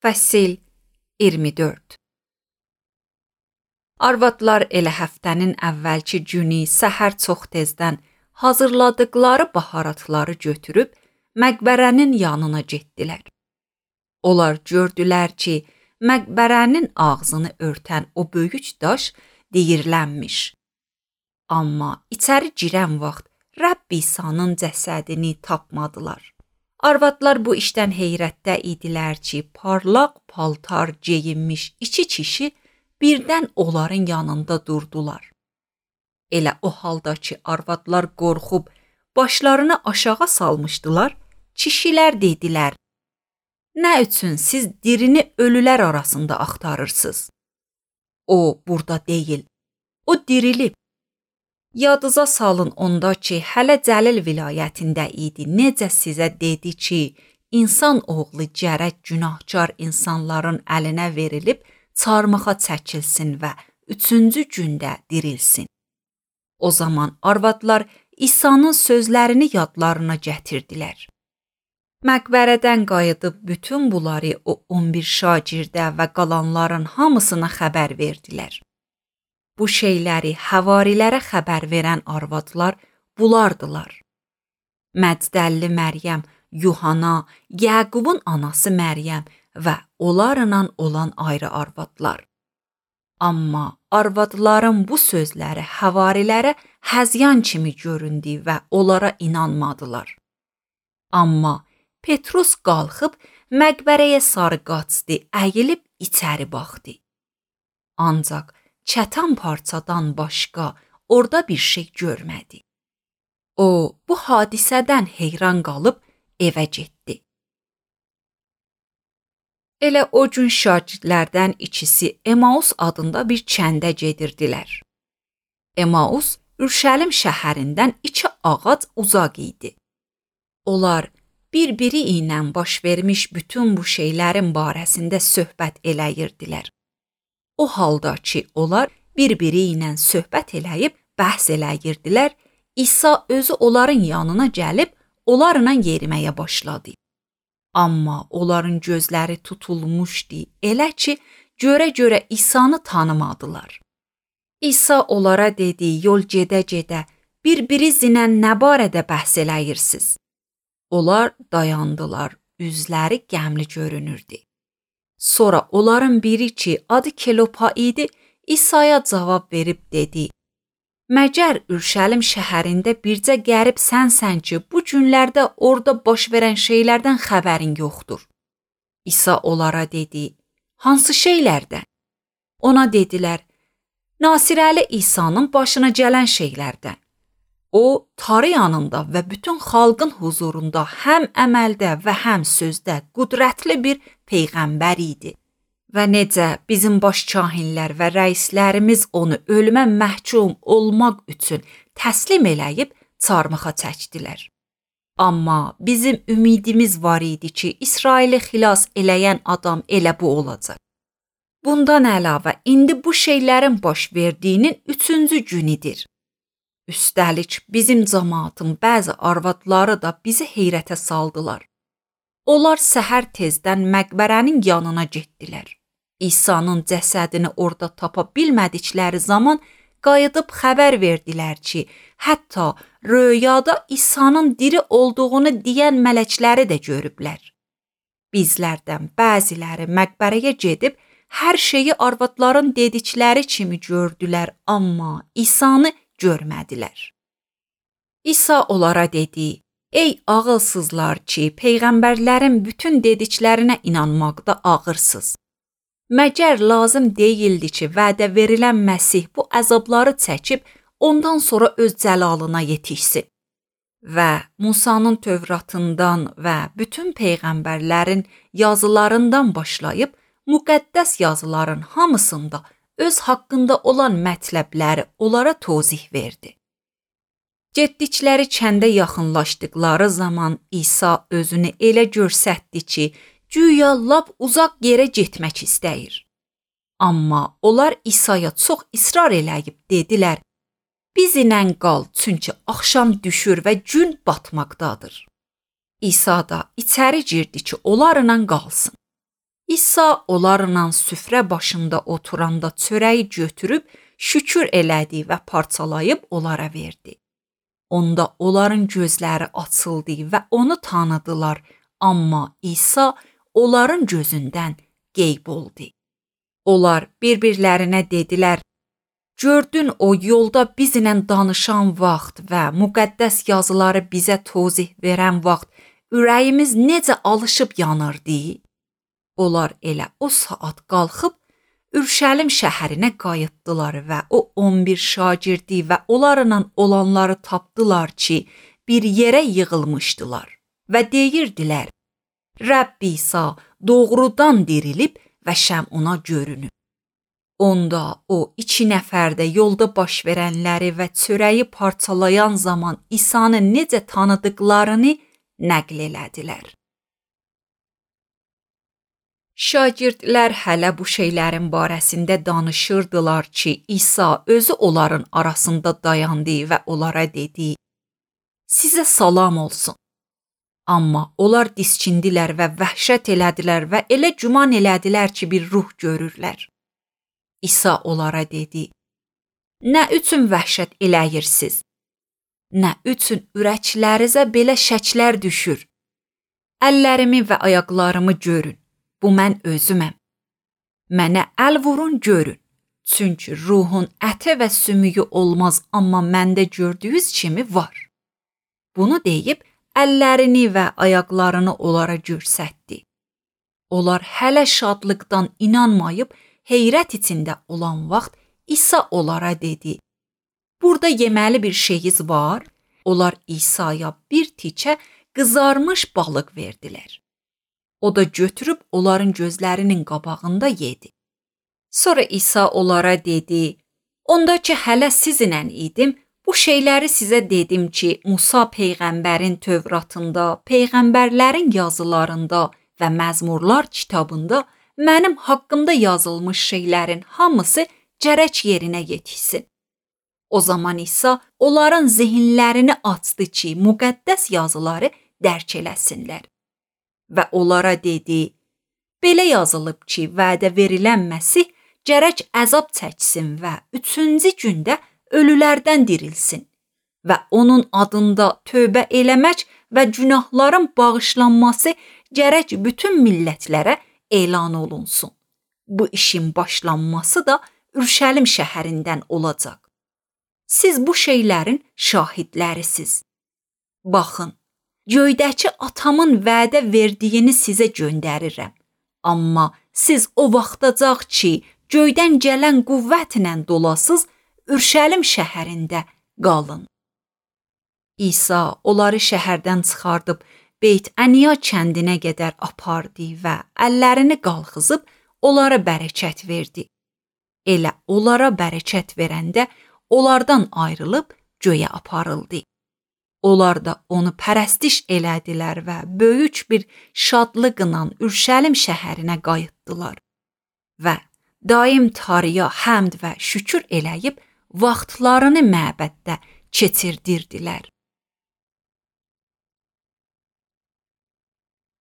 Fəsil 24. Arvadlar elə həftənin əvvəlki günü səhər çox tezdən hazırladıqları baharatları götürüb məqbərənin yanına getdilər. Onlar gördülər ki, məqbərənin ağzını örtən o böyük daş deyirlənmiş. Amma içəri girən vaxt Rəbb İsa'nın cəsədini tapmadılar. Arvadlar bu işdən heyrətdə idilər ki, parlaq paltar geyinmiş iki kişi birdən onların yanında durdular. Elə o halda ki, arvadlar qorxub başlarını aşağı salmışdılar, kişilər dedilər: "Nə üçün siz dirini ölülər arasında axtarırsınız? O burada deyil, o dirilib. Yadınıza salın onda ki, hələ Cəlil vilayətində idi. Necə sizə dedi ki, insan oğlu gərək günahkar insanların əlinə verilib çarmıxa çəkilsin və 3-cü gündə dirilsin." O zaman arvadlar İsa'nın sözlərini yadlarına gətirdilər. Məqbərədən qayıdıb bütün bunları o 11 şagirdə və qalanların hamısına xəbər verdilər. Bu şeyləri həvarilərə xəbər verən arvadlar bulardılar: Məcdəlli Məryəm, Yuhana, Yaqubun anası Məryəm və onlarla olan ayrı arvadlar. Amma arvadların bu sözləri həvarilərə həzyan kimi göründü və onlara inanmadılar. Amma Petrus qalxıb məqbərəyə sarı qaçdı, əyilib içəri baxdı. Ancaq çətan parçadan başqa orada bir şey görmədi. O, bu hadisədən heyran qalıb evə getdi. Elə o gün şagirdlərdən ikisi Emaus adında bir kəndə gedirdilər. Emaus, Ürşəlim şəhərindən 2 ağac uzaq idi. Onlar bir-biri ilə baş vermiş bütün bu şeylərin barəsində söhbət eləyirdilər. O halda ki, onlar bir-biri ilə söhbət eləyib bəhs eləyirdilər, İsa özü onların yanına gəlib onlarla yeriməyə başladı. Amma onların gözləri tutulmuşdu, elə ki, görə-görə İsa'nı tanımadılar. İsa onlara dedi: "Yol gedə-gedə bir-birinizlə nə barədə bəhs eləyirsiniz?" Onlar dayandılar, üzləri qəmli görünürdü. Sonra onların biri ki, adı Kelopa idi, İsa'ya cavab verib dedi: "Məgər Ürşəlim şəhərində bircə qərib sənsən ki, bu günlərdə orada baş verən şeylərdən xəbərin yoxdur?" İsa onlara dedi: "Hansı şeylərdən?" Ona dedilər: "Nasirəli İsa'nın başına gələn şeylərdən. O, tarı yanında və bütün xalqın huzurunda həm əməldə və həm sözdə qüdrətli bir peyğəmbər idi. Və necə bizim baş kahinlər və rəislərimiz onu ölümə məhkum olmaq üçün təslim eləyib çarmıxa çəkdilər. Amma bizim ümidimiz var idi ki, İsraili xilas eləyən adam elə bu olacaq. Bundan əlavə, indi bu şeylərin baş verdiyinin 3-cü günüdür. Üstəlik, bizim cəmaatın bəzi arvadları da bizi heyrətə saldılar. Onlar səhər tezdən məqbərənin yanına getdilər. İsa'nın cəsədini orada tapa bilmədikləri zaman qayıdıb xəbər verdilər ki, hətta röyada İsa'nın diri olduğunu deyən mələkləri də görüblər. Bizlərdən bəziləri məqbərəyə gedib hər şeyi arvadların dedikləri kimi gördülər, amma İsa'nı görmədilər. İsa onlara dedi: "Ey ağılsızlar ki, peyğəmbərlərin bütün dediklərinə inanmaqda ağırsınız. Məgər lazım deyildi ki, vədə verilən Məsih bu əzabları çəkib ondan sonra öz cəlalına yetişsin? Və Musanın Tövratından və bütün peyğəmbərlərin yazılarından başlayıb müqəddəs yazıların hamısında öz haqqında olan mətləbləri onlara tozih verdi." Getdikləri kəndə yaxınlaşdıqları zaman İsa özünü elə göstərdi ki, güya lap uzaq yerə getmək istəyir. Amma onlar İsa'ya çox israr eləyib dedilər: "Bizlə qal, çünki axşam düşür və gün batmaqdadır." İsa da içəri girdi ki, onlarla qalsın. İsa onlarla süfrə başında oturanda çörəyi götürüb şükür elədi və parçalayıb onlara verdi. Onda onların gözləri açıldı və onu tanıdılar, amma İsa onların gözündən qeyb oldu. Onlar bir-birlərinə dedilər: "Gördün o yolda bizlə danışan vaxt və müqəddəs yazıları bizə tozih verən vaxt ürəyimiz necə alışıb yanırdı?" Onlar elə o saat qalxıb Ürşəlim şəhərinə qayıtdılar və o 11 şagirdi və onlarla olanları tapdılar ki, bir yerə yığılmışdılar və deyirdilər: "Rəbb İsa doğrudan dirilib və şəm ona görünüb." Onda o 2 nəfər də yolda baş verənləri və çörəyi parçalayan zaman İsanı necə tanıdıqlarını nəql elədilər. Şagirdlər hələ bu şeylərin barəsində danışırdılar ki, İsa özü onların arasında dayandı və onlara dedi: "Sizə salam olsun." Amma onlar disçindilər və vəhşət elədilər və elə güman elədilər ki, bir ruh görürlər. İsa onlara dedi: "Nə üçün vəhşət eləyirsiniz? Nə üçün ürəklərinizə belə şəklər düşür? Əllərimi və ayaqlarımı görün. Bu mən özüməm. Mənə əl vurun görün. Çünki ruhun əti və sümüyü olmaz, amma məndə gördüyünüz kimi var." Bunu deyib əllərini və ayaqlarını onlara göstərdi. Onlar hələ şadlıqdan inanmayıb heyrət içində olan vaxt İsa onlara dedi: "Burada yeməli bir şeyiniz var?" Onlar İsa'ya bir tikə qızarmış balıq verdilər. O da götürüb onların gözlərinin qabağında yedi. Sonra İsa onlara dedi: "Onda ki hələ sizinlə idim, bu şeyləri sizə dedim ki, Musa peyğəmbərin Tövratında, peyğəmbərlərin yazılarında və Məzmurlar kitabında mənim haqqımda yazılmış şeylərin hamısı gərək yerinə yetişsin." O zaman İsa onların zehinlərini açdı ki, müqəddəs yazıları dərk eləsinlər. Və onlara dedi: "Belə yazılıb ki, vədə verilən Məsih gərək əzab çəksin və 3-cü gündə ölülərdən dirilsin və onun adında tövbə eləmək və günahların bağışlanması gərək bütün millətlərə elan olunsun. Bu işin başlanması da Ürşəlim şəhərindən olacaq. Siz bu şeylərin şahidlərisiz. Baxın, göydəki atamın vədə verdiyini sizə göndərirəm. Amma siz o vaxtacaq ki, göydən gələn qüvvətlə dolasız Ürşəlim şəhərində qalın." İsa onları şəhərdən çıxardıb Beyt-Əniya kəndinə qədər apardı və əllərini qalxızıb onlara bərəkət verdi. Elə onlara bərəkət verəndə onlardan ayrılıb göyə aparıldı. Onlar da onu pərəstiş elədilər və böyük bir şadlıqla Ürşəlim şəhərinə qayıtdılar və daim Tanrıya həmd və şükür eləyib vaxtlarını məbəddə keçirdirdilər.